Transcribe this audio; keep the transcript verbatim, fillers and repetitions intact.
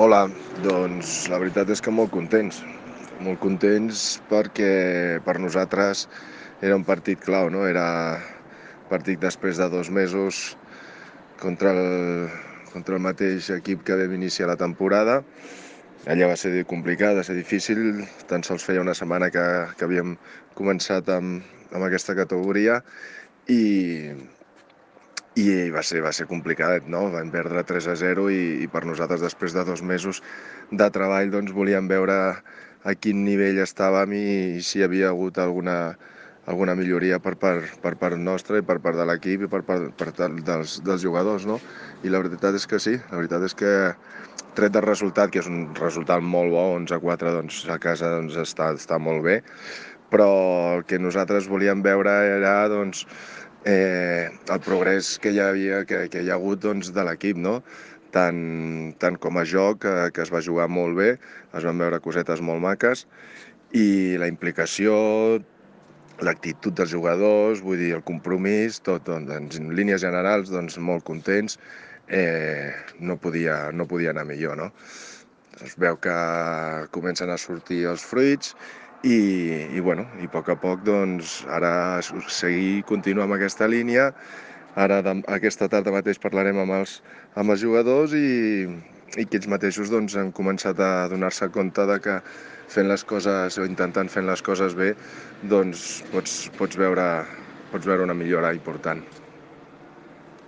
Hola, doncs la veritat és que molt contents, molt contents perquè per nosaltres era un partit clau, no? Era partit després de dos mesos contra el, contra el mateix equip que vam iniciar la temporada. Allà va ser complicat, va ser difícil, tan sols feia una setmana que, que havíem començat amb, amb aquesta categoria i, i va ser, va ser complicat, no? Vam perdre tres a zero i, i per nosaltres després de dos mesos de treball doncs volíem veure a quin nivell estàvem i, i si hi havia hagut alguna, alguna milloria per part, per part nostra i per part de l'equip i per part, per part dels, dels jugadors, no? I la veritat és que sí, la veritat és que tret del resultat, que és un resultat molt bo, onze a quatre doncs, a casa doncs, està, està molt bé, però el que nosaltres volíem veure era doncs, eh, el progrés que hi havia, que, que hi ha hagut doncs, de l'equip, no? Tant, tant com a joc, que, que es va jugar molt bé, es van veure cosetes molt maques, i la implicació, l'actitud dels jugadors, vull dir, el compromís, tot, doncs, en línies generals, doncs, molt contents, eh, no, podia, no podia anar millor, no? Es veu que comencen a sortir els fruits i, i, bueno, i a poc a poc doncs, ara seguir, continuar amb aquesta línia. Ara de, aquesta tarda mateix parlarem amb els, amb els jugadors i, i que ells mateixos doncs, han començat a donar-se compte de que fent les coses o intentant fer les coses bé doncs pots, pots, veure, pots veure una millora important.